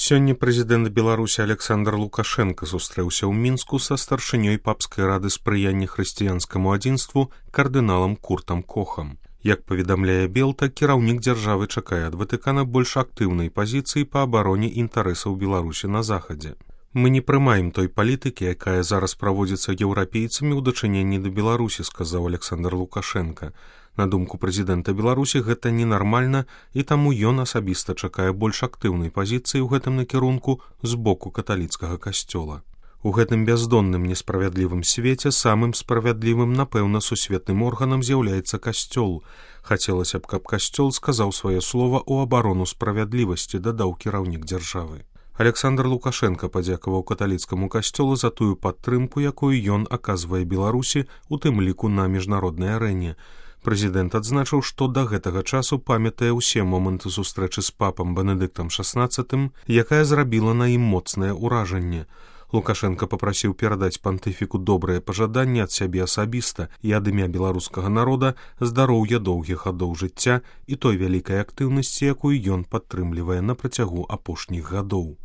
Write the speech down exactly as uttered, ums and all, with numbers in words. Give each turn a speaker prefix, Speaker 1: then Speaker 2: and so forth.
Speaker 1: Сёння прэзідэнт Беларусі Александр Лукашенко сустрэўся ў Мінску са старшынёй папскай рады спрыяння хрысціянскаму адзінству кардыналам Куртам Кохам. Як паведамляе Белта, кіраўнік дзяржавы чакае ад Ватыкана больш актыўнай пазіцыі па абароне інтарэсаў Беларусі на захадзе. Мы не прымаем той палітыкі, якая зараз праводзіцца еўрапейцамі ў дачыненні да Беларусі, сказаў Александр Лукашенко. На думку прэзідэнта Беларусі, гэта ненармальна, і таму ён асабіста чакае больш актыўнай пазіцыі ў гэтым накірунку з боку каталіцкага касцёла. У гэтым бяздонным несправядлівым свеце самым справядлівым, напэўна, сусветным органам з'яўляецца касцёл. Хацелася б, каб касцёл сказаў сваё слова ў абарону справядлівасці, дадаў кіраўнік дзяржавы. Александр Лукашенко падзякаваў каталіцкаму касцёлу за тую падтрымку, якую ён аказвае Беларусі, у тым ліку на міжнароднай арэне. Прэзідэнт адзначыў, што да гэтага часу памятае ўсе моманты сустрэчы з папам Бенедыктам шаснаццатым, якая зрабіла на ім моцнае ўражанне. Лукашенко папрасіў перадаць пантыфіку добрыя пажаданні ад сябе асабіста і ад імя беларускага народа, здароўя доўгіх гадоў жыцця і той вялікай актыўнасці, якую ён падтрымлівае на працягу апошніх гадоў.